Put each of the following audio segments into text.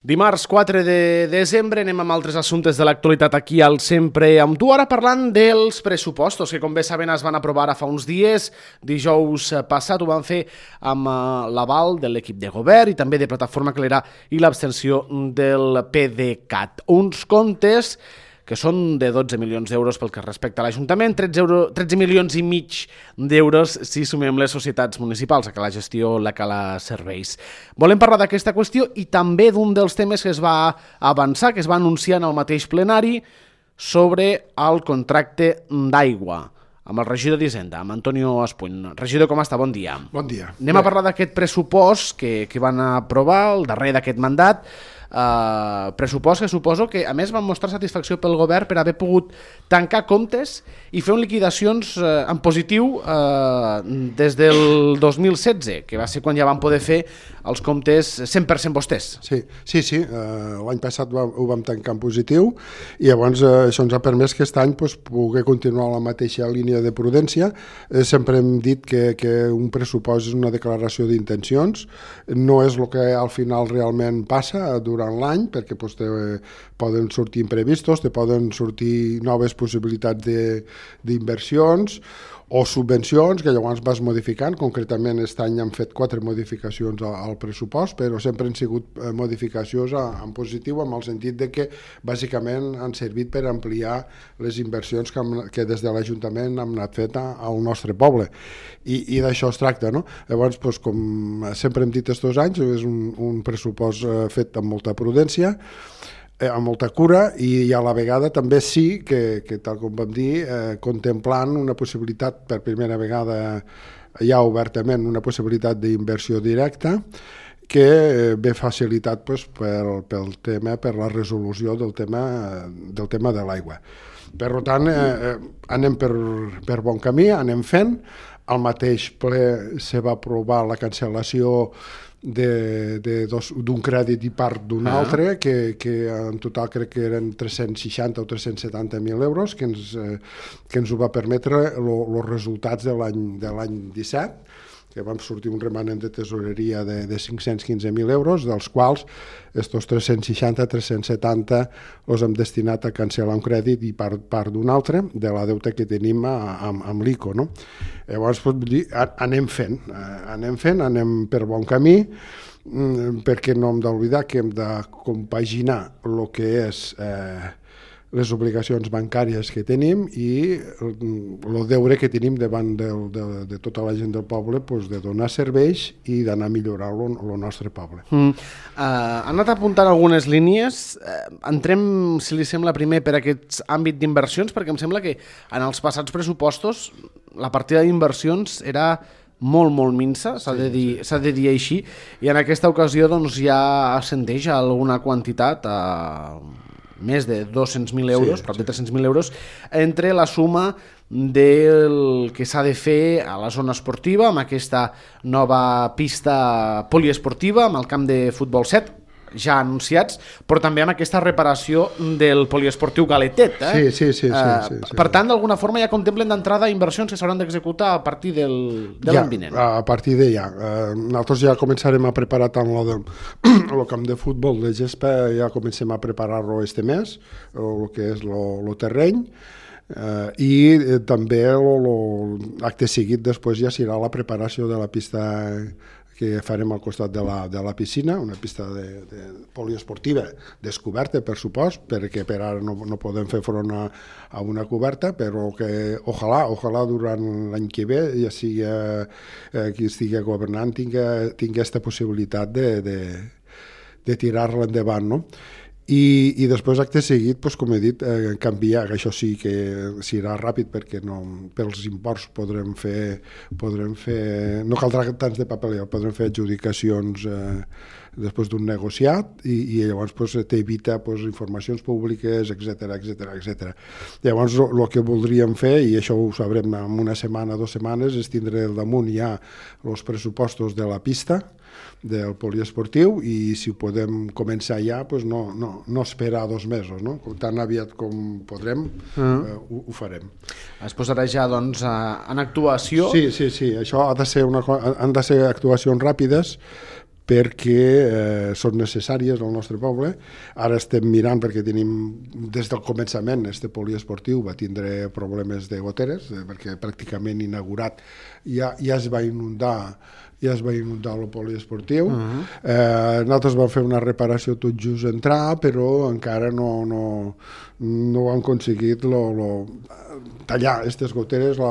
Dimarts 4 de desembre anem amb altres assumptes de l'actualitat aquí al Sempre amb tu, ara parlant dels pressupostos que com bé saben es van aprovar fa uns dies. Dijous passat ho van fer amb l'aval de l'equip de govern i també de Plataforma Calera i l'abstenció del PDeCAT. Uns comptes que són de 12 milions d'euros pel que respecta a l'Ajuntament, 13 milions i mig d'euros si sumem les societats municipals, a que la gestió, la que la serveis. Volem parlar d'aquesta qüestió i també d'un dels temes que es va avançar, que es va anunciar en el mateix plenari, sobre el contracte d'aigua, amb el regidor d'Hisenda, amb Antonio Espuny. Regidor, com està? Bon dia. Bon dia. Anem a parlar d'aquest pressupost que van aprovar, el darrer d'aquest mandat, pressupost que suposo que a més van mostrar satisfacció pel govern per haver pogut tancar comptes i fer liquidacions en positiu des del 2016, que va ser quan ja van poder fer els comptes 100% vostès. Sí. L'any passat ho vam tancar en positiu i llavors això ens ha permès que aquest any poder continuar la mateixa línia de prudència. Sempre hem dit que un pressupost és una declaració d'intencions, no és el que al final realment passa durant l'any, perquè poden sortir imprevistos, poden sortir noves possibilitats d'inversions o subvencions que llavors vas modificant. Concretament aquest any han fet 4 modificacions al pressupost, però sempre han sigut modificacions en positiu, en el sentit de que bàsicament han servit per ampliar les inversions que des de l'Ajuntament hem anat fet al nostre poble, i d'això es tracta, no? Llavors, com sempre hem dit estos anys, és un pressupost fet amb molta prudència, amb molta cura, i a la vegada també sí que tal com vam dir, contemplant una possibilitat, per primera vegada ja obertament, una possibilitat d'inversió directa que ve facilitat pel tema, per la resolució del tema de l'aigua. Per tant, anem per bon camí, anem fent. Al mateix ple se va aprovar la cancel·lació d'un crèdit i part d'un altre, que en total crec que eren 360 o 370.000 euros, que ens ho va permetre els resultats de l'any 17, que vam sortir un remanent de tesoreria de 515.000 euros, dels quals estos 360-370 els hem destinat a cancel·lar un crèdit i part d'un altre de la deuta que tenim amb l'ICO, no? Llavors, anem fent, anem per bon camí, perquè no hem d'oblidar que hem de compaginar el que és les obligacions bancàries que tenim i el deure que tenim davant de tota la gent del poble, de donar serveis i d'anar millorant el nostre poble. Han anat apuntant algunes línies. Entrem, si li sembla, primer per aquest àmbit d'inversions, perquè em sembla que en els passats pressupostos la partida d'inversions era molt minsa, s'ha de dir així, i en aquesta ocasió ja ascendeix a alguna quantitat, més de 200.000 euros, prop de 300.000 euros, entre la suma del que s'ha de fer a la zona esportiva, amb aquesta nova pista poliesportiva, amb el camp de futbol 7, ja anunciats, però també amb aquesta reparació del poliesportiu Galetet. Sí. Per tant, d'alguna forma ja contemplen d'entrada inversions que s'hauran d'executar a partir de l'any vinent. A partir de ja. Nosaltres ja començarem a preparar tant el camp de futbol de gespa, ja comencem a preparar-lo este mes, el que és el terreny, i també l'acte seguit després ja serà la preparació de la pista que farem al costat de la piscina, una pista de poliesportiva descoberta, per supost, perquè per ara no podem fer front a una coberta, però que ojalà durant l'any que ve ja sigui qui estigui governant tingui aquesta possibilitat de tirar-la endavant, no? I després, acte seguit, com he dit, canviar, que això sí que serà ràpid, perquè pels imports podrem fer, no caldrà tants de paperera, podrem fer adjudicacions després d'un negociat i llavors t'evita informacions públiques, etc. Llavors el que voldríem fer, i això ho sabrem en una setmana, 2 setmanes, és tindre al damunt ja els pressupostos de la pista, del poliesportiu, i si ho podem començar ja, no esperar 2 mesos, no? Tan aviat com podrem, ho farem. Es posarà ja en actuació? Sí, això han de ser actuacions ràpides, perquè són necessàries al nostre poble. Ara estem mirant, perquè tenim des del començament, este poliesportiu va tindre problemes de goteres, perquè pràcticament inaugurat ja es va inundar el poliesportiu. Nosaltres vam fer una reparació tot just entrar, però encara no han aconseguit tallar aquestes goteres.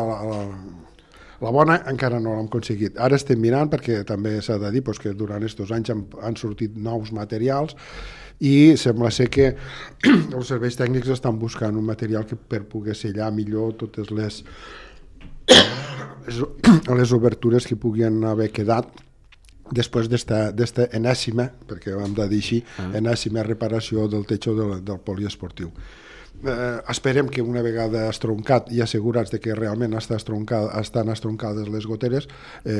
La bona encara no l'hem aconseguit. Ara estem mirant, perquè també s'ha de dir que durant aquests anys han sortit nous materials i sembla ser que els serveis tècnics estan buscant un material per poder sellar millor totes les obertures que puguin haver quedat després d'esta enèsima, perquè ho hem de dir així, enèsima reparació del techo del poliesportiu. Esperem que una vegada estroncat i assegurats de que realment estan estroncades les goteres,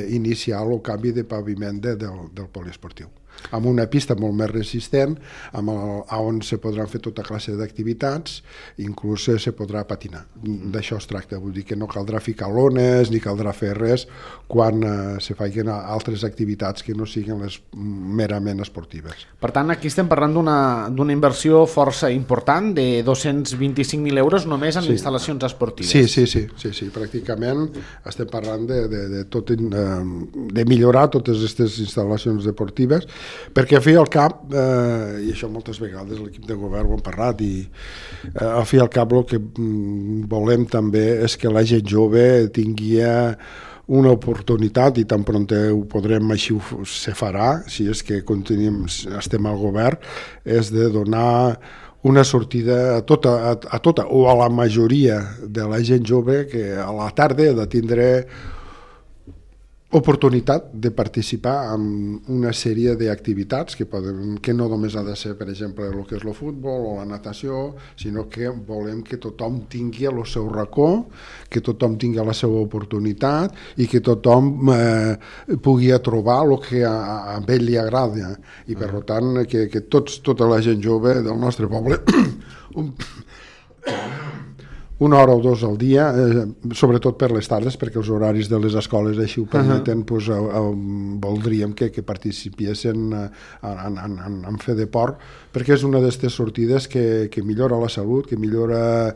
iniciar el canvi de paviment del poliesportiu, amb una pista molt més resistent, on se podran fer tota classe d'activitats, inclús se podrà patinar. D'això es tracta, vull dir que no caldrà ficar lones ni caldrà fer res quan se facin altres activitats que no siguin les merament esportives. Per tant, aquí estem parlant d'una inversió força important, de 225.000 euros només en instal·lacions esportives. Sí, pràcticament estem parlant de millorar totes aquestes instal·lacions deportives, perquè al fi i al cap, i això moltes vegades l'equip de govern ho hem parlat, i al fi i al cap el que volem també és que la gent jove tingui una oportunitat, i tan pront ho podrem, així se farà, si és que estem al govern, és de donar una sortida a tota o a la majoria de la gent jove que a la tarda ha de tindre oportunitat de participar en una sèrie d'activitats que no només ha de ser, per exemple, el que és el futbol o la natació, sinó que volem que tothom tingui el seu racó, que tothom tingui la seva oportunitat i que tothom pugui trobar el que a ell li agrada. I per tant, que tota la gent jove del nostre poble una hora o dues al dia, sobretot per les tardes, perquè els horaris de les escoles així ho permeten, voldríem que participessin en fer de port, perquè és una d'aquestes sortides que millora la salut, que millora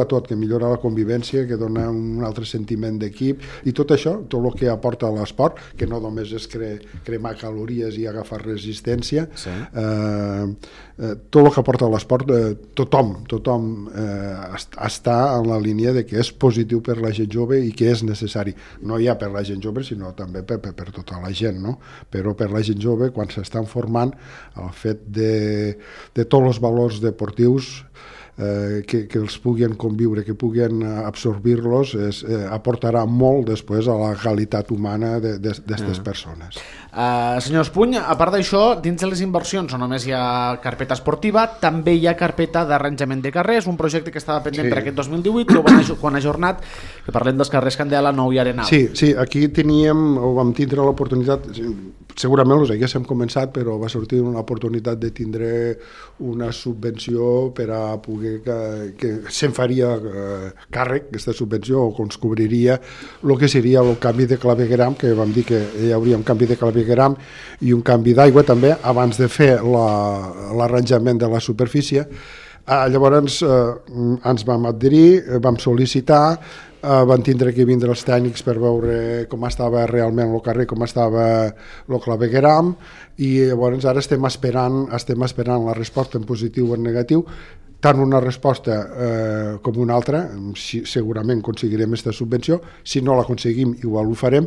tot, que millora la convivència, que dona un altre sentiment d'equip, i tot això, tot el que aporta l'esport, que no només és cremar calories i agafar resistència, tot el que aporta l'esport, tothom està en la línia de que és positiu per la gent jove i que és necessari. No ja per la gent jove, sinó també per tota la gent, no? Però per la gent jove, quan s'estan formant, el fet de tots els valors deportius que els puguin conviure, que puguin absorbir-los, aportarà molt després a la qualitat humana d'aquestes persones. Senyor Espuny, a part d'això, dins de les inversions no només hi ha carpeta esportiva, també hi ha carpeta d'arranjament de carrers, un projecte que estava pendent per aquest 2018, quan ha ajornat, que parlem dels carrers Candela, Nou i Arenal. Sí, aquí vam tindre l'oportunitat, segurament els haguéssim començat, però va sortir una oportunitat de tindre una subvenció per a poder que se'n faria càrrec, aquesta subvenció, o que ens cobriria el que seria el canvi de clavegueram, que vam dir que hi hauria un canvi de clavegueram i un canvi d'aigua també, abans de fer l'arranjament de la superfície. Llavors ens vam adherir, vam sol·licitar, van tindre que vindre els tècnics per veure com estava realment el carrer, com estava el clavegueram, i llavors ara estem esperant la resposta en positiu o en negatiu, tant una resposta com una altra. Segurament aconseguirem aquesta subvenció, si no l'aconseguim igual ho farem,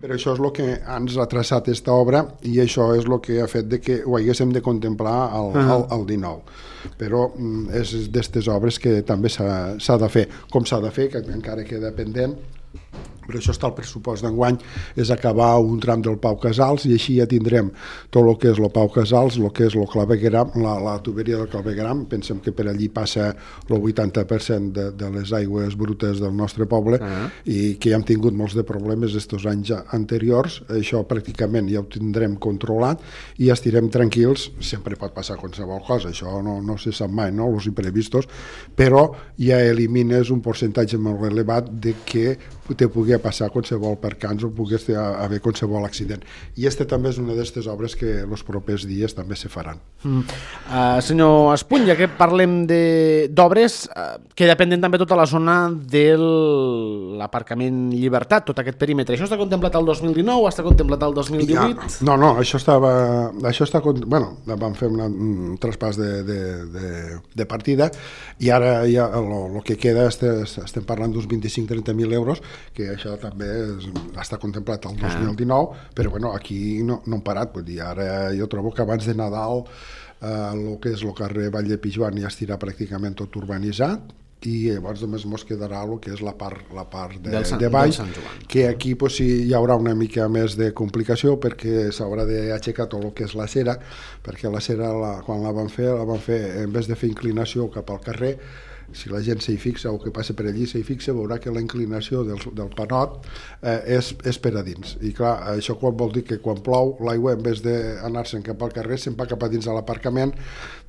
però això és el que ens ha traçat aquesta obra i això és el que ha fet que ho haguéssim de contemplar al 19. Però és d'aquestes obres que també s'ha de fer, com s'ha de fer, que encara queda pendent. Però això està al pressupost d'enguany, és acabar un tram del Pau Casals, i així ja tindrem tot el que és el Pau Casals, el que és el clavegueram, la tuberia del clavegueram. Pensem que per allí passa el 80% de les aigües brutes del nostre poble, i que ja hem tingut molts de problemes aquests anys anteriors. Això pràcticament ja ho tindrem controlat i estirem tranquils. Sempre pot passar qualsevol cosa, això no se sap mai, no? Els imprevistos, però ja elimines un percentatge molt elevat de que te pugui passar qualsevol percans o pogués haver qualsevol accident. I també és una d'aquestes obres que els propers dies també se faran. Senyor Espuny, ja que parlem d'obres, que depenen també tota la zona de l'aparcament Llibertat, tot aquest perímetre. Això està contemplat al 2019 o està contemplat al 2018? No, això bueno, vam fer un traspàs de partida i ara ja el que queda estem parlant d'uns 25-30.000 euros, que això també està contemplat al 2019, però bueno, aquí no hem parat, vull dir, ara jo trobo que abans de Nadal el que és el carrer Vall de Pijuan ja estirà pràcticament tot urbanitzat, i llavors només ens quedarà el que és la part de baix, que aquí sí, hi haurà una mica més de complicació perquè s'haurà d'aixecar tot el que és la cera, perquè la cera quan la van fer en vez de fer inclinació cap al carrer, si la gent s'hi fixa o que passa per allí s'hi fixa, veurà que la inclinació del panot és per a dins. I clar, això vol dir que quan plou, l'aigua en vez d'anar-se'n cap al carrer se'n va cap a dins de l'aparcament,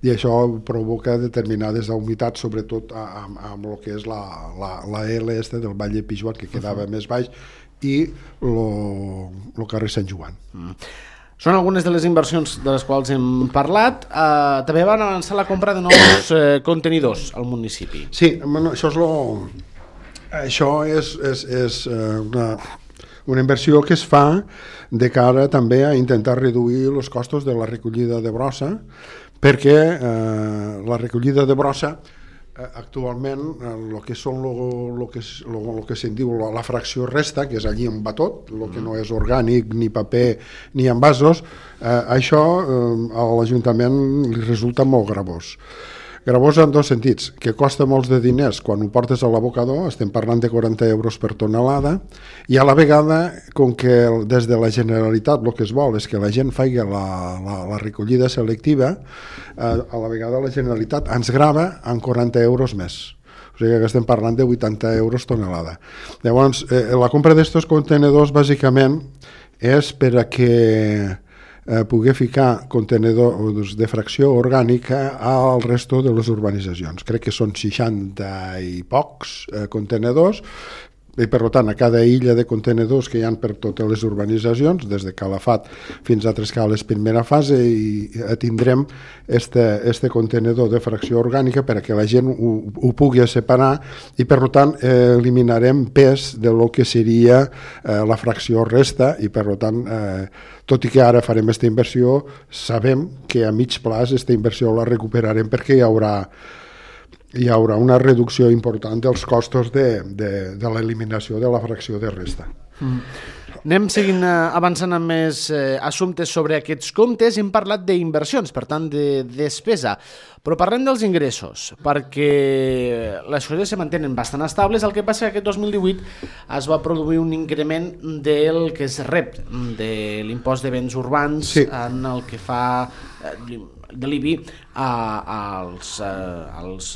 i això provoca determinades humitats, sobretot amb el que és la L del Vall de Pijuan, que quedava més baix, i el carrer Sant Joan. Són algunes de les inversions de les quals hem parlat. També van avançar la compra de nous contenidors al municipi. Sí, això és una inversió que es fa de cara també a intentar reduir els costos de la recollida de brossa, perquè la recollida de brossa actualment el que són el que se'n diu la fracció resta, que és allí on va tot, el que no és orgànic, ni paper ni envasos, això a l'Ajuntament li resulta molt gravós. Gravós en dos sentits, que costa molts de diners quan ho portes a l'abocador, estem parlant de 40 euros per tonelada, i a la vegada, com que des de la Generalitat el que es vol és que la gent faci la recollida selectiva, a la vegada la Generalitat ens grava en 40 euros més. O sigui que estem parlant de 80 euros tonelada. Llavors, la compra d'estos contenedors bàsicament és per a que poder ficar contenidors de fracció orgànica al resto de les urbanitzacions. Crec que són 60 i pocs contenidors, i per tant a cada illa de contenidors que hi ha per totes les urbanitzacions, des de Calafat fins a Trescales primera fase, i tindrem este contenidor de fracció orgànica per a que la gent ho pugui separar, i per tant eliminarem pes de lo que seria la fracció resta, i per tant tot i que ara farem aquesta inversió, sabem que a mig plaç aquesta inversió la recuperarem perquè hi haurà una reducció important dels costos de l'eliminació de la fracció de resta. Anem seguint avançant amb més assumptes sobre aquests comptes. Hem parlat d'inversions, per tant de despesa, però parlem dels ingressos, perquè les coses se mantenen bastant estables. El que passa que aquest 2018 es va produir un increment del que es rep de l'impost de béns urbans, sí, en el que fa de l'IBI als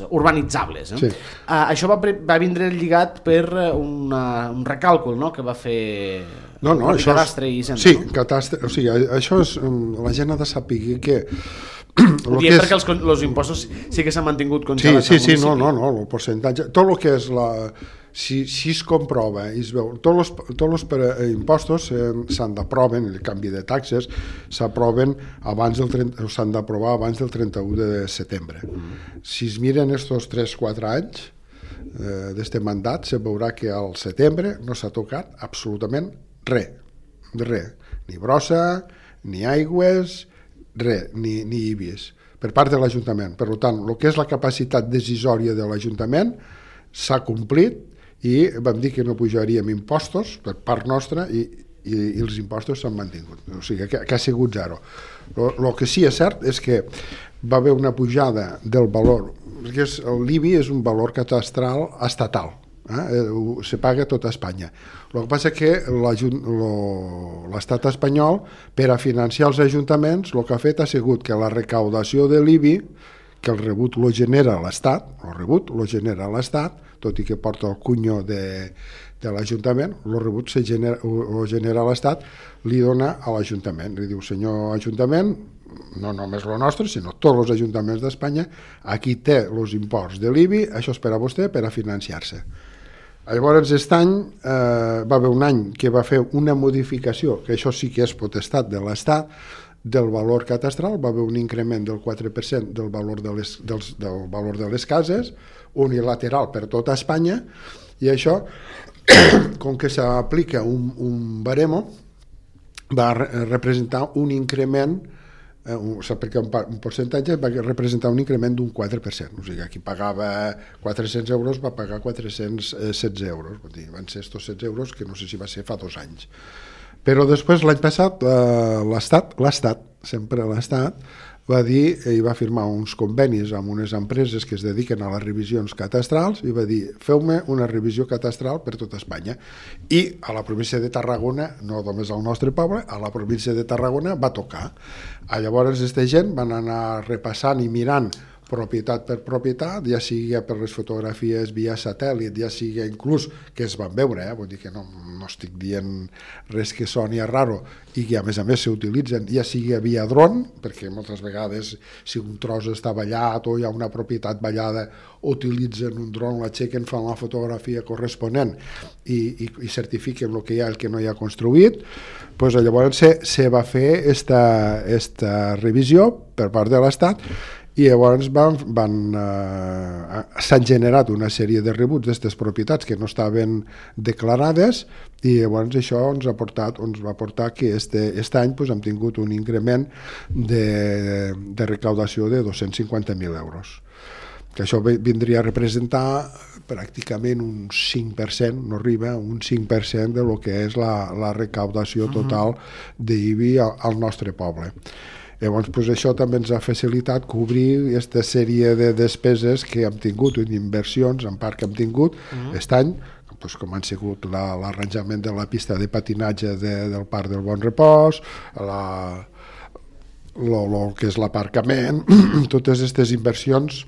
urbanitzables. Sí. Això va vindre lligat per un recàlcul, no?, que va fer Cadastre i Hisenda. Sí, Cadastre, o sigui, això és, la gent ha de saber que ho diem perquè els impostos sí que s'han mantingut congelats al municipi. No, el percentatge, tot el que és si es comprova i es veu, tots els impostos s'han d'aprovar, el canvi de taxes s'aproven s'han d'aprovar abans del 31 de setembre. Si es miren estos 3-4 anys d'este mandat, se veurà que al setembre no s'ha tocat absolutament res, ni brossa, ni aigües, res, ni IBIs, per part de l'Ajuntament. Per tant, el que és la capacitat decisòria de l'Ajuntament s'ha complit, i vam dir que no pujaríem impostos per part nostra, i els impostos s'han mantingut, o sigui que ha sigut zero. El que sí és cert és que va haver una pujada del valor, perquè l'IBI és un valor catastral estatal, se paga a tota Espanya. El que passa és que l'estat espanyol, per a financiar els ajuntaments, el que ha fet ha sigut que la recaudació de l'IBI, que el rebut lo genera l'Estat, tot i que porta el cunyo de l'Ajuntament, el rebut ho genera l'Estat, li dona a l'Ajuntament. Li diu, senyor Ajuntament, no només el nostre, sinó tots els ajuntaments d'Espanya, aquí té els imports de l'IBI, això és per a vostè, per a financiar-se. Llavors, aquest any va haver un any que va fer una modificació, que això sí que és potestat de l'Estat, del valor catastral, va haver un increment del 4% del valor de les cases, unilateral per tota Espanya, i això, com que s'aplica un baremo, va representar un increment, perquè un percentatge va representar un increment d'un 4%, o sigui, qui pagava 400 euros va pagar 416 euros, van ser estos 16 euros, que no sé si va ser fa 2 anys. Però després, l'any passat, l'Estat, sempre l'Estat, va dir i va firmar uns convenis amb unes empreses que es dediquen a les revisions catastrals i va dir, feu-me una revisió catastral per tota Espanya. I a la província de Tarragona, no només al nostre poble, a la província de Tarragona va tocar. Llavors, aquesta gent van anar repassant i mirant propietat per propietat, ja sigui per les fotografies via satèl·lit, ja sigui inclús que es van veure, vull dir que no estic dient res que soni raro, i que a més s'utilitzen, ja sigui via dron, perquè moltes vegades si un tros està ballat o hi ha una propietat ballada, utilitzen un dron, l'aixequen, fan la fotografia corresponent i certifiquen el que hi ha i el que no hi ha construït. Pues llavors se va fer esta revisió per part de l'Estat, i llavors s'han generat una sèrie de rebuts d'aquestes propietats que no estaven declarades, i llavors això ens va portar que aquest any hem tingut un increment de recaudació de 250.000 euros, que això vindria a representar pràcticament un 5%, no arriba a un 5% de lo que és la recaudació total d'IBI al nostre poble. Llavors, això també ens ha facilitat cobrir aquesta sèrie de despeses que hem tingut, d'inversions, en part que hem tingut aquest any, com han sigut l'arranjament de la pista de patinatge del Parc del Bon Repòs, el que és l'aparcament, totes aquestes inversions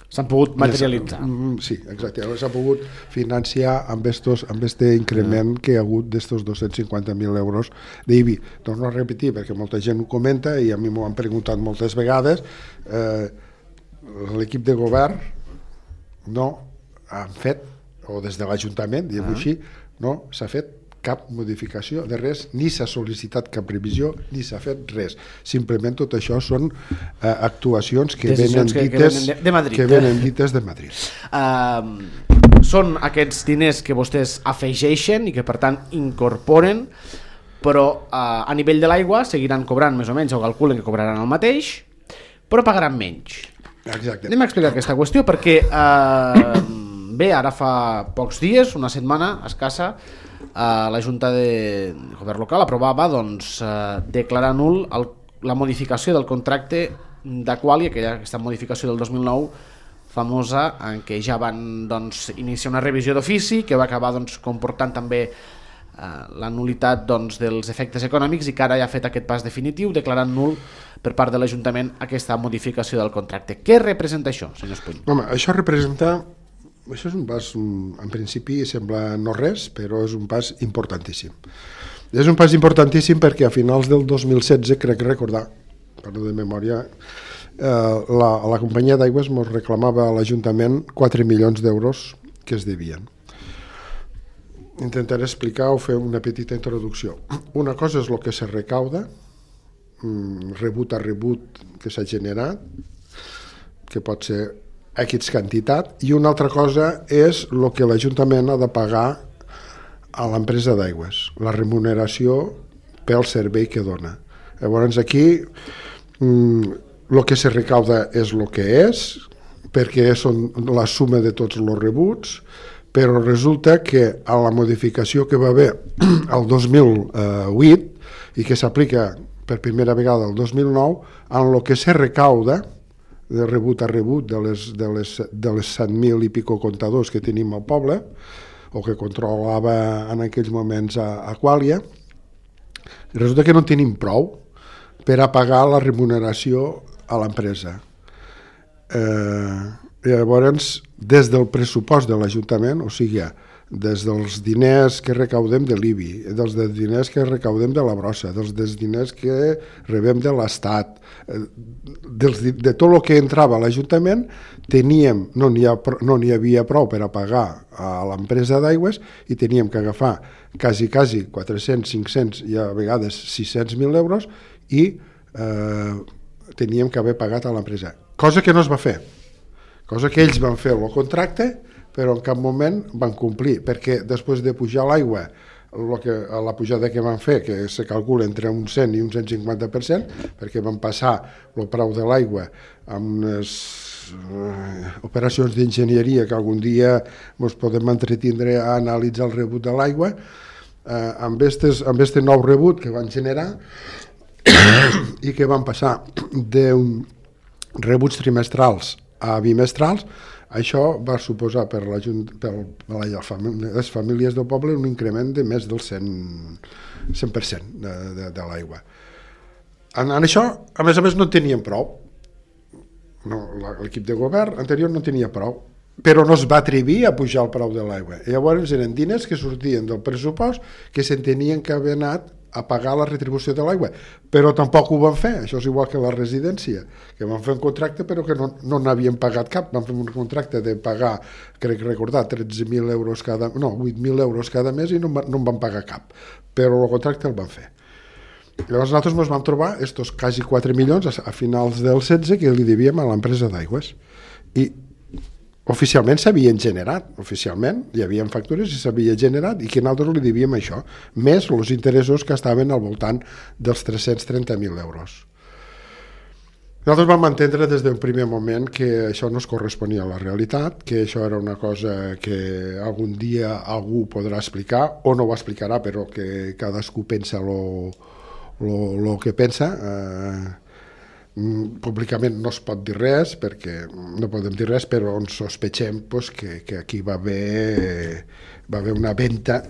s'han pogut materialitzar. Sí, exacte. S'ha pogut financiar amb aquest increment que hi ha hagut d'estos 250.000 euros d'IBI. Torno a repetir, perquè molta gent ho comenta i a mi m'ho han preguntat moltes vegades, l'equip de govern no han fet, o des de l'Ajuntament, diguem-ho així, no s'ha fet cap modificació de res, ni s'ha sol·licitat cap revisió, ni s'ha fet res. Simplement tot això són actuacions que venen dites de Madrid. Són aquests diners que vostès afegeixen i que per tant incorporen, però a nivell de l'aigua seguiran cobrant més o menys, o calculen que cobraran el mateix, però pagaran menys. Exacte. Anem a explicar aquesta qüestió perquè bé, ara fa pocs dies, una setmana escassa, la Junta de Govern Local aprovava declarar nul la modificació del contracte d'Aquàlia, aquesta modificació del 2009 famosa, en què ja van iniciar una revisió d'ofici que va acabar comportant també la nulitat dels efectes econòmics, i que ara ja ha fet aquest pas definitiu declarant nul per part de l'Ajuntament aquesta modificació del contracte. Què representa això, senyor Espuny? Home, això és un pas, en principi sembla no res, però és un pas importantíssim. És un pas importantíssim perquè a finals del 2016, crec recordar, parlo de memòria, la companyia d'aigües ens reclamava a l'Ajuntament 4 milions d'euros que es devien. Intentaré explicar o fer una petita introducció. Una cosa és el que se recauda, rebut a rebut que s'ha generat, que pot ser X quantitat, i una altra cosa és el que l'Ajuntament ha de pagar a l'empresa d'aigües, la remuneració pel servei que dona. Llavors aquí el que se recauda és el que és, perquè són la suma de tots els rebuts, però resulta que a la modificació que va haver el 2008 i que s'aplica per primera vegada el 2009, en el que se recauda de rebut a rebut de les 100.000 i pico comptadors que tenim al poble, o que controlava en aquells moments Aquàlia, resulta que no tenim prou per a pagar la remuneració a l'empresa. Llavors, des del pressupost de l'Ajuntament, o sigui, des dels diners que recaudem de l'IBI, dels diners que recaudem de la brossa, dels diners que rebem de l'Estat, de tot el que entrava a l'Ajuntament, no n'hi havia prou per a pagar a l'empresa d'aigües i teníem que agafar quasi 400, 500 i a vegades 600.000 euros i teníem que haver pagat a l'empresa. Cosa que no es va fer. Cosa que ells van fer el contracte, però en cap moment van complir, perquè després de pujar l'aigua, la pujada que van fer, que se calcula entre un 100 i un 150%, perquè van passar el preu de l'aigua amb unes operacions d'enginyeria que algun dia ens podem entretindre a analitzar el rebut de l'aigua, amb este nou rebut que van generar i que van passar de rebuts trimestrals a bimestrals. Això va suposar per les famílies del poble un increment de més del 100% de l'aigua. En això, a més, no tenien prou. L'equip de govern anterior no tenia prou, però no es va atrevir a pujar el preu de l'aigua. Llavors eren diners que sortien del pressupost que s'entenien que havien anat a pagar la retribució de l'aigua, però tampoc ho van fer. Això és igual que la residència, que van fer un contracte però que no n'havien pagat cap. Van fer un contracte de pagar, crec recordar, 8.000 euros cada mes i no en van pagar cap, però el contracte el van fer. Llavors nosaltres ens vam trobar estos quasi 4 milions a finals del 16 que li devíem a l'empresa d'aigües. I oficialment s'havien generat, oficialment hi havia factures i s'havia generat i que nosaltres li devíem això, més els interessos que estaven al voltant dels 330.000 euros. Nosaltres vam entendre des del primer moment que això no es corresponia a la realitat, que això era una cosa que algun dia algú podrà explicar, o no ho explicarà, però que cadascú pensa el que pensa. Públicament no es pot dir res, perquè no podem dir res, però ens sospechem que aquí va haver una venda,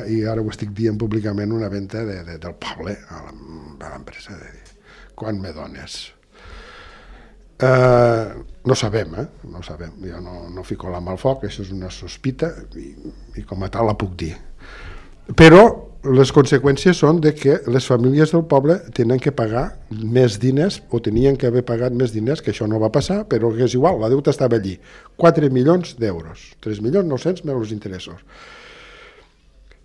i ara ho estic dient públicament, una venda del poble a l'empresa. Quan me dones? No sabem, no sabem. Jo no fico la mà al foc, això és una sospita i com a tal la puc dir. Però les conseqüències són de que les famílies del poble tenen que pagar més diners, o tenien que haver pagat més diners, que això no va passar, però que és igual, la deuta estava allí. 4 milions d'euros, 3.900.000 més els interessos.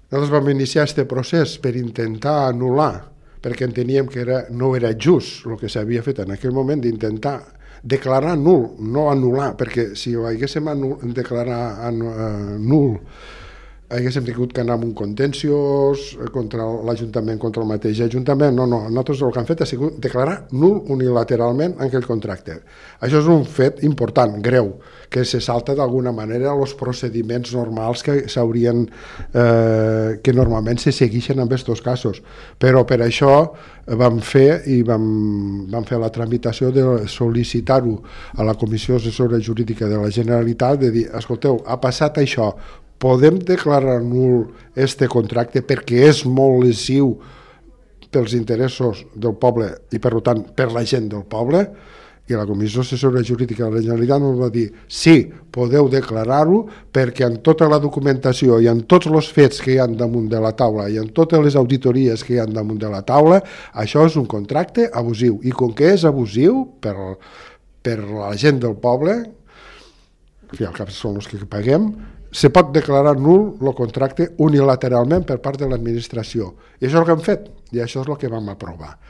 Nosaltres vam iniciar aquest procés per intentar anul·lar, perquè enteníem que no era just el que s'havia fet en aquell moment, d'intentar declarar nul, no anul·lar, perquè si ho haguéssim declarat nul, haguéssim tingut que anar amb un contenciós contra l'Ajuntament, contra el mateix Ajuntament. No, nosaltres el que hem fet ha sigut declarar nul unilateralment aquell contracte. Això és un fet important, greu, que se salta d'alguna manera els procediments normals que s'haurien, que normalment se segueixen en aquests casos. Però per això vam fer la tramitació de sol·licitar-ho a la Comissió Assessora Jurídica de la Generalitat, de dir, escolteu, ha passat això, podem declarar nul este contracte perquè és molt lesiu pels interessos del poble i per tant per la gent del poble? I la Comissió Assessora Jurídica de la Generalitat ens va dir sí, podeu declarar-ho perquè en tota la documentació i en tots els fets que hi ha damunt de la taula i en totes les auditories que hi ha damunt de la taula, això és un contracte abusiu, i com que és abusiu per la gent del poble, que al cap són els que paguem, se pot declarar nul el contracte unilateralment per part de l'administració. I això és el que hem fet, i això és el que vam aprovar.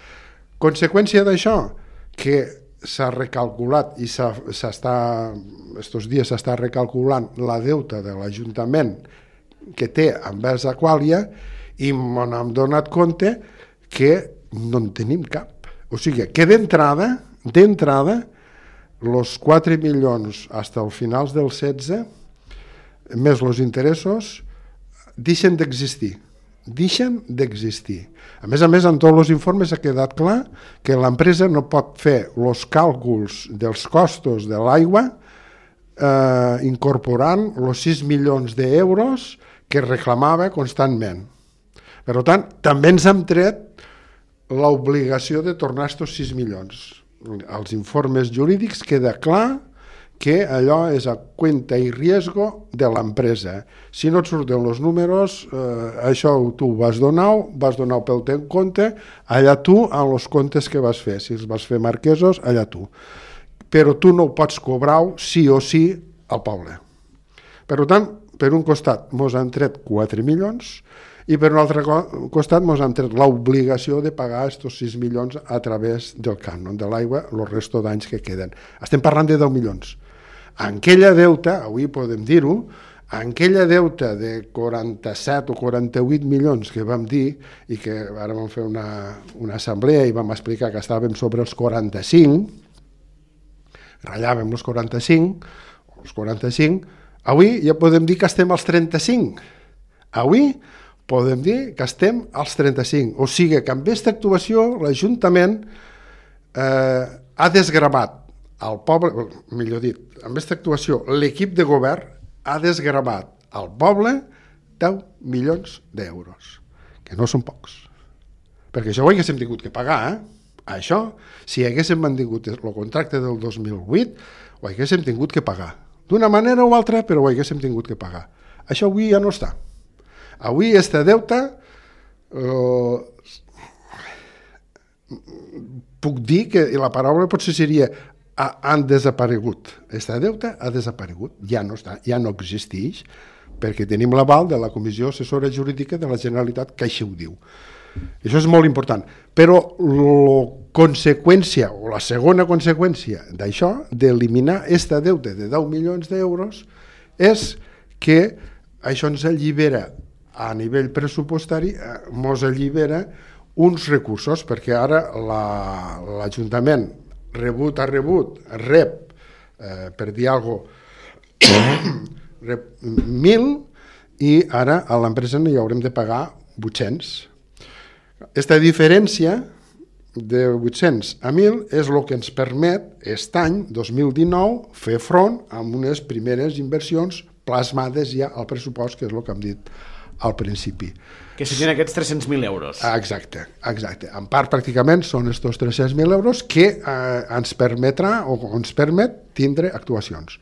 Conseqüència d'això, que s'ha recalculat i estos dies s'està recalculant la deuta de l'Ajuntament que té envers Aquàlia, i m'hem donat compte que no en tenim cap. O sigui, que d'entrada, els 4 milions fins al finals del 16, més els interessos, deixen d'existir. A més, en tots els informes ha quedat clar que l'empresa no pot fer els càlculs dels costos de l'aigua incorporant els 6 milions d'euros que reclamava constantment. Per tant, també ens hem tret l'obligació de tornar aquests 6 milions. Als informes jurídics queda clar que allò és a cuenta i riesgo de l'empresa. Si no et surten els números, això tu vas donar pel teu compte, allà tu, en els comptes que vas fer. Si els vas fer marquesos, allà tu. Però tu no ho pots cobrar sí o sí al poble. Per tant, per un costat mos han tret 4 milions i per un altre costat mos han tret l'obligació de pagar estos 6 milions a través del cànon de l'aigua, el resto d'anys que queden. Estem parlant de 10 milions. En aquella deuta, avui podem dir-ho, en aquella deuta de 47 o 48 milions que vam dir i que ara vam fer una assemblea i vam explicar que estàvem sobre els 45, ratllàvem els 45, avui ja podem dir que estem als 35. Avui podem dir que estem als 35. O sigui que amb aquesta actuació l'Ajuntament ha desgravat al poble, millor dit, amb aquesta actuació l'equip de govern ha desgravat al poble 10 milions d'euros, que no són pocs. Perquè això ho haguéssim tingut que pagar, Això, si haguéssim mantingut el contracte del 2008, ho haguéssim tingut que pagar. D'una manera o altra, però ho haguéssim tingut que pagar. Això avui ja no està. Avui este deute puc dir que la paraula potser seria han desaparegut. Este deute ha desaparegut, ja no està, ja no existeix, perquè tenim l'aval de la Comissió Assessora Jurídica de la Generalitat que així ho diu. Això és molt important, però la segona conseqüència d'això, d'eliminar este deute de 10 milions d'euros, és que això ens allibera a nivell pressupostari, ens allibera uns recursos, perquè ara l'Ajuntament rep, per dir alguna cosa, rep 1.000 i ara a l'empresa hi haurem de pagar 800. Aquesta diferència de 800 a 1.000 és el que ens permet aquest any, 2019, fer front amb unes primeres inversions plasmades ja al pressupost, que és el que hem dit al principi. Que serien aquests 300.000 euros. Exacte. En part, pràcticament, són aquests 300.000 euros que ens permetrà o ens permet tindre actuacions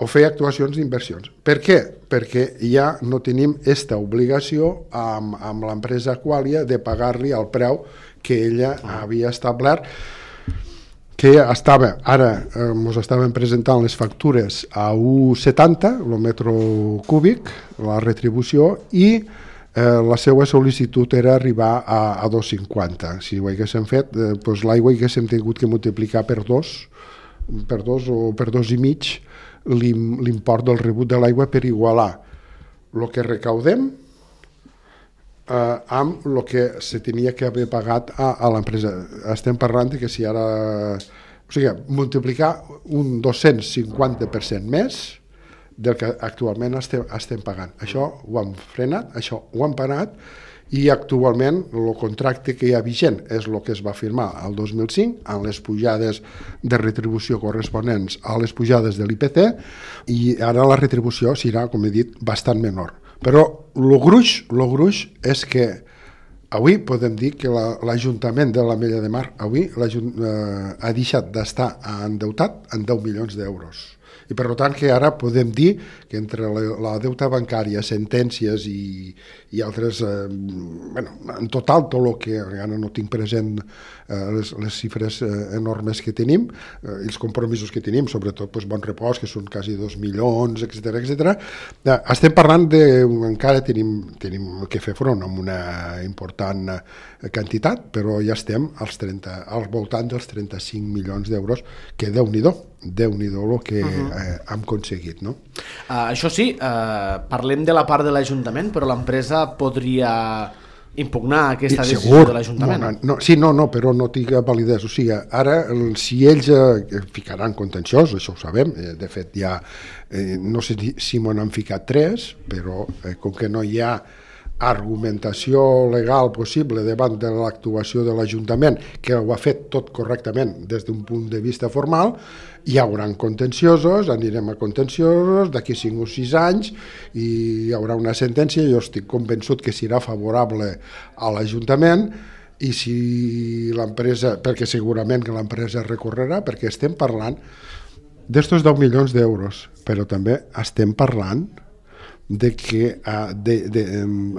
o fer actuacions d'inversions. Per què? Perquè ja no tenim aquesta obligació amb l'empresa Aqualia de pagar-li el preu que ella havia establert, que estava, ara ens estaven presentant les factures a 1,70 el metre cúbic, la retribució, i la seva sol·licitud era arribar a 2,50. Si ho haguéssim fet, doncs l'aigua haguéssim tingut que multiplicar per dos o per 2,5 l'import del rebut de l'aigua per igualar el que recaudem amb el que se tenia que haver pagat a l'empresa. Estem parlant que si ara... O sigui, multiplicar un 250% més del que actualment estem pagant. Això ho hem frenat, això ho hem parat, i actualment el contracte que hi ha vigent és el que es va firmar el 2005 amb les pujades de retribució corresponents a les pujades de l'IPC, i ara la retribució serà, com he dit, bastant menor. Però el gruix és que avui podem dir que l'Ajuntament de l'Ametlla de Mar avui ha deixat d'estar endeutat en 10 milions d'euros. I per tant que ara podem dir que entre la deuta bancària, sentències i altres, en total tot el que ara no tinc present les xifres enormes que tenim, els compromisos que tenim, sobretot Bon Repòs, que són quasi 2 milions, etc. Estem parlant encara tenim que fer front amb una important quantitat, però ja estem al voltant dels 35 milions d'euros, que Déu-n'hi-do el que hem aconseguit, no? Això sí, parlem de la part de l'Ajuntament, però l'empresa podria impugnar aquesta decisió de l'Ajuntament. Però no tinga validesa. O sigui, ara, si ells ficaran contenciós, això ho sabem, de fet ja, no sé si m'ho han ficat 3, però com que no hi ha argumentació legal possible davant de l'actuació de l'Ajuntament, que ho ha fet tot correctament des d'un punt de vista formal, hi haurà contenciosos, anirem a contenciosos d'aquí 5 o 6 anys i hi haurà una sentència. Jo estic convençut que serà favorable a l'Ajuntament, i si l'empresa, perquè segurament que l'empresa recorrerà, perquè estem parlant d'estos 10 milions d'euros, però també estem parlant de que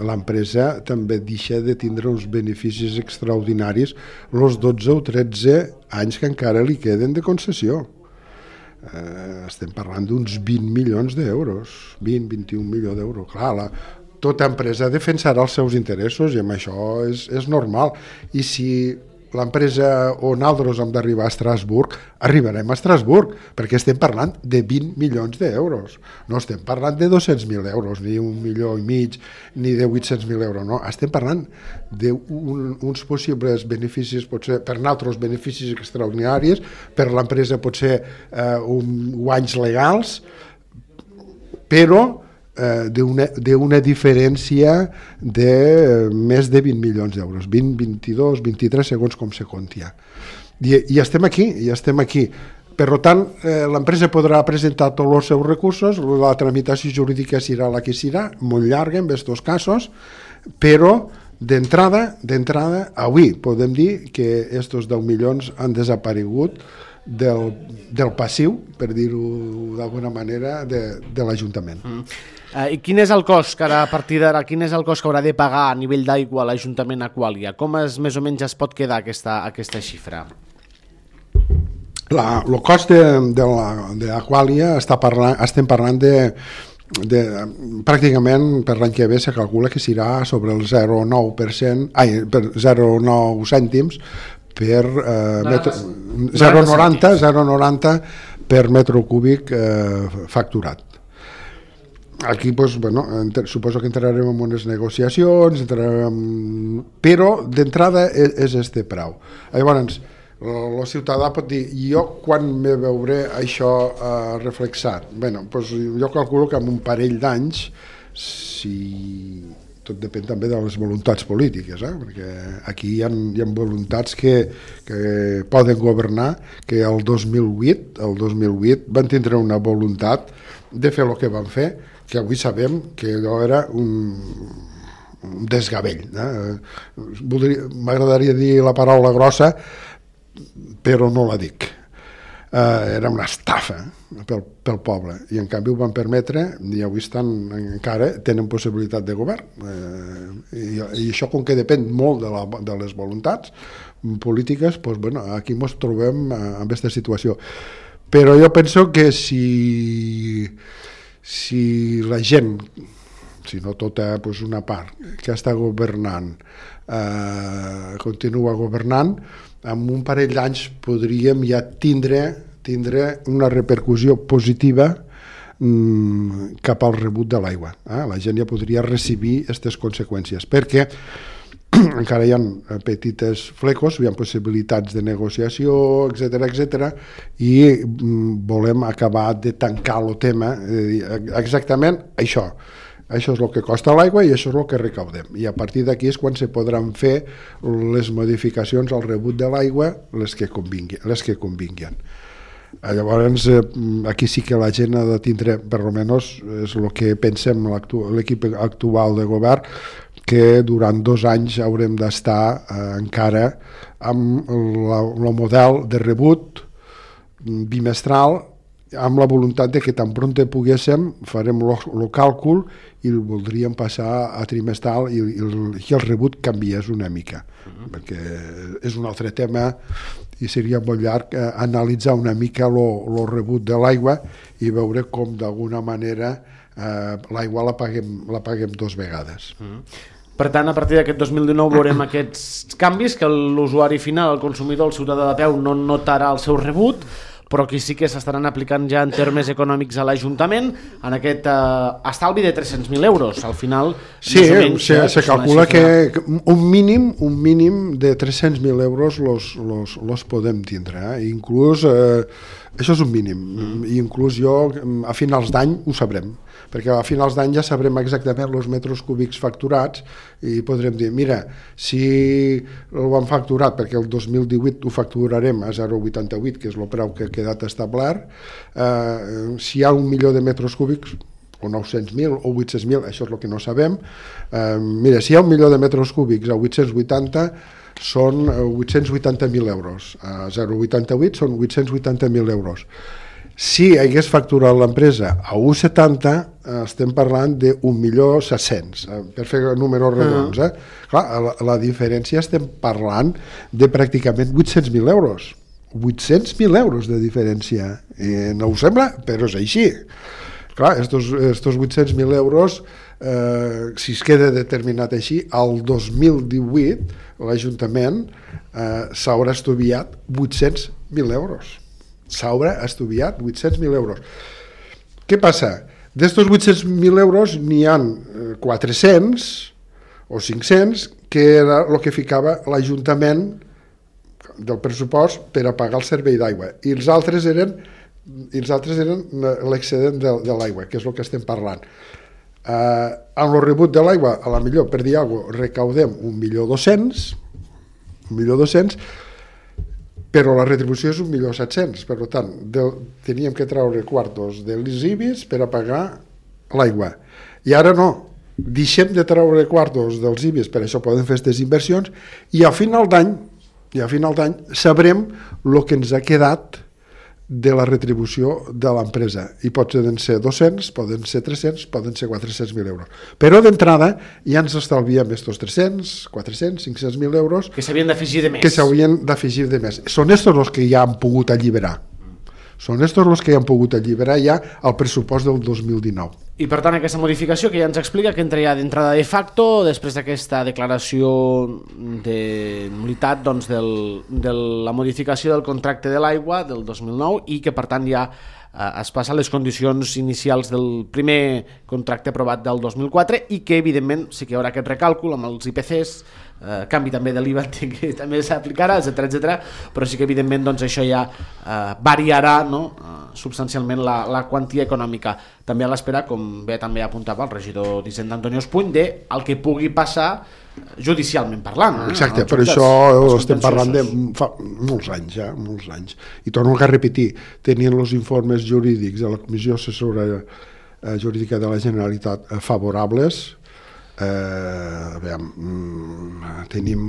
l'empresa també deixa de tindre uns beneficis extraordinaris els 12 o 13 anys que encara li queden de concessió. Estem parlant d'uns 20 milions d'euros, 20-21 milions d'euros. Clar, tota empresa defensarà els seus interessos i amb això és normal. I si l'empresa o nosaltres hem d'arribar a Estrasburg, arribarem a Estrasburg, perquè estem parlant de 20 milions d'euros. No estem parlant de 200.000 euros, ni 1,5 milions, ni de 800.000 euros, no. Estem parlant d'uns possibles beneficis, potser per nosaltres beneficis extraordinaris, per l'empresa potser guanys legals, però d'una diferència de més de 20 milions d'euros, 20, 22, 23, segons com se contia. I estem aquí. Per tant, l'empresa podrà presentar tots els seus recursos, la tramitació jurídica serà la que serà, molt llarga en aquests casos, però d'entrada, avui podem dir que aquests 10 milions han desaparegut del passiu, per dir-ho d'alguna manera, de l'Ajuntament. I quin és el cost que a partir d'ara, quin és el cost que haurà de pagar a nivell d'aigua l'Ajuntament Aqualia? Com més o menys es pot quedar aquesta xifra? El cost d'Aqualia estem parlant de pràcticament per l'any que ve se calcula que serà sobre el 0,9%, 0,9 cèntims per 0,90 per metre cúbic facturat. Aquí, suposo que entrarem en unes negociacions, però d'entrada és este preu. Llavors, el ciutadà pot dir, jo quan me veuré això reflexat? Jo calculo que en un parell d'anys, si tot depèn també de les voluntats polítiques, perquè aquí hi ha voluntats que poden governar, que el 2008 van tindre una voluntat de fer el que van fer, que avui sabem que allò era un desgavell. M'agradaria dir la paraula grossa, però no la dic. Era una estafa pel poble, i en canvi ho van permetre, i avui encara tenen possibilitat de govern. I això, com que depèn molt de les voluntats polítiques, aquí ens trobem en aquesta situació. Però jo penso que si la gent, si no tota, una part que està governant continua governant, en un parell d'anys podríem ja tindre una repercussió positiva cap al rebut de l'aigua. La gent ja podria recibir aquestes conseqüències, perquè encara hi ha petites flecos, hi ha possibilitats de negociació, etc., i volem acabar de tancar el tema, exactament això. Això és el que costa l'aigua i això és el que recaudem. I a partir d'aquí és quan se podran fer les modificacions al rebut de l'aigua, les que convinguin. Llavors, aquí sí que la gent ha de tindre, per almenys és el que pensem l'equip actual de govern, que durant 2 anys haurem d'estar encara amb el model de rebut bimestral, amb la voluntat de que tan pronte poguéssim farem el càlcul i el voldríem passar a trimestral i el rebut canviés una mica, perquè és un altre tema i seria molt llarg analitzar una mica el rebut de l'aigua i veure com d'alguna manera l'aigua la paguem 2 vegades. Per tant, a partir d'aquest 2019 veurem aquests canvis que l'usuari final, el consumidor, el ciutadà de peu, no notarà el seu rebut, però aquí sí que s'estaran aplicant ja en termes econòmics a l'Ajuntament en aquest estalvi de 300.000 euros. Al final, sí, se calcula que un mínim de 300.000 euros los podem tindre. Inclús, això és un mínim, i inclús jo a finals d'any ho sabrem, perquè a finals d'any ja sabrem exactament els metres cúbics facturats i podrem dir, mira, si ho han facturat, perquè el 2018 ho facturarem a 0,88, que és el preu que ha quedat establert, si hi ha 1 milió de metres cúbics, o 900.000 o 800.000, això és el que no sabem, mira, si hi ha 1 milió de metres cúbics a 880, són 880.000 euros. A 0,88 són 880.000 euros. Si hagués facturat l'empresa a 1,70, estem parlant de 1.700.000, per fer números redons. Clar, la diferència estem parlant de pràcticament 800.000 euros. 800.000 euros de diferència. No us sembla? Però és així. Clar, estos 800.000 euros, si es queda determinat així, al 2018 l'Ajuntament s'haurà estudiat 800.000 euros. S'haurà estudiat 800.000 euros. Què passa? D'estos 800.000 euros n'hi ha 400 o 500 que era el que ficava l'Ajuntament del pressupost per a pagar el servei d'aigua, i els altres eren l'excedent de l'aigua, que és el que estem parlant. Amb el rebut de l'aigua, a la millor, per dir alguna cosa, recaudem 1.200.000, però la retribució és 1.700.000, per tant, teníem que treure quartos de les IBIs per a pagar l'aigua. I ara no, deixem de treure quartos dels IBIs, per això podem fer aquestes inversions, i a final d'any sabrem el que ens ha quedat de la retribució de l'empresa, i poden ser 200, poden ser 300, poden ser 400.000 euros. Però d'entrada ja ens estalviem estos 300, 400, 500.000 euros que s'havien d'afegir de més. Són estos els que ja han pogut alliberar. Són estos els que han pogut alliberar ja el pressupost del 2019. I per tant aquesta modificació que ja ens explica que entra ja d'entrada de facto després d'aquesta declaració de nul·litat de la modificació del contracte de l'aigua del 2009, i que per tant ja es passa a les condicions inicials del primer contracte aprovat del 2004, i que evidentment sí que hi haurà aquest recàlcul amb els IPCs, canvi també de l'IVA que també s'aplicarà, etc. Però sí que evidentment això ja variarà substancialment la quantia econòmica, també a l'espera, com bé també apuntava el regidor d'Hisenda Antonio Espuny, del que pugui passar judicialment parlant. Exacte, per això estem parlant de fa molts anys. I torno a repetir, tenien els informes jurídics de la Comissió Assessora Jurídica de la Generalitat favorables. Tenim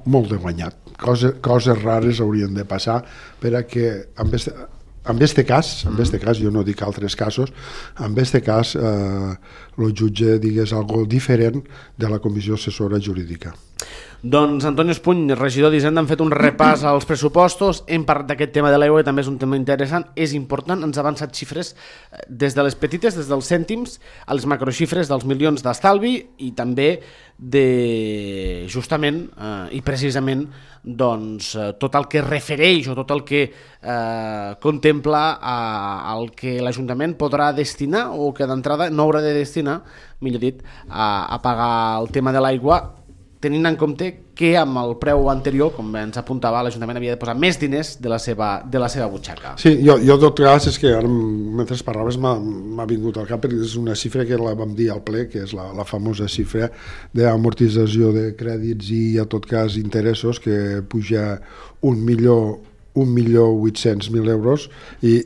molt de guanyat. Coses rares haurien de passar per a que en este cas, jo no dic altres casos, en este cas el jutge digués algo diferent de la Comissió Assessora Jurídica. Doncs Antonio Espuny, regidor d'Hisenda, han fet un repàs als pressupostos, hem parlat d'aquest tema de l'aigua, que també és un tema interessant, és important, ens ha avançat xifres des de les petites, des dels cèntims, a les macroxifres dels milions d'estalvi, i també de justament i precisament tot el que refereix o tot el que contempla el que l'Ajuntament podrà destinar, o que d'entrada no haurà de destinar, millor dit, a pagar el tema de l'aigua, tenint en compte que amb el preu anterior, com ens apuntava, l'Ajuntament havia de posar més diners de la seva butxaca. Sí, jo en tot cas, és que ara mentre parlaves m'ha vingut al cap, perquè és una xifra que la vam dir al ple, que és la famosa xifra d'amortització de crèdits i, en tot cas, interessos, que puja 1.800.000 euros, i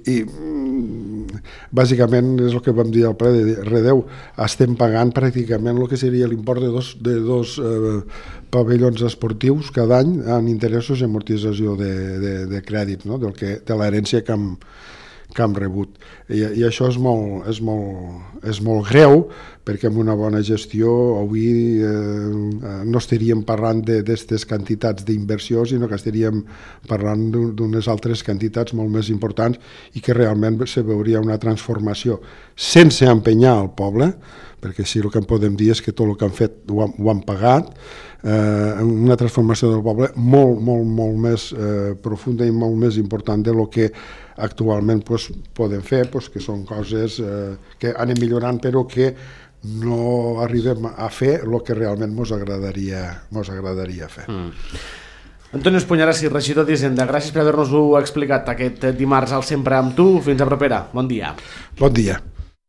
bàsicament és el que vam dir al ple de Redeu, estem pagant pràcticament el que seria l'import de dos pavellons esportius cada any en interessos i amortització de crèdit, de l'herència que hem rebut, i això és molt greu, perquè amb una bona gestió avui no estaríem parlant d'aquestes quantitats d'inversió, sinó que estaríem parlant d'unes altres quantitats molt més importants, i que realment se veuria una transformació sense empenyar el poble, perquè sí, el que podem dir és que tot el que han fet ho han pagat, una transformació del poble molt més profunda i molt més important de lo que actualment podem fer, que són coses que anem millorant, però que no arribem a fer el que realment mos agradaria fer. Antonio Espuny, regidor d'Hisenda, gràcies per haver-nos-ho explicat aquest dimarts al Sempre amb tu. Fins a propera. Bon dia. Bon dia.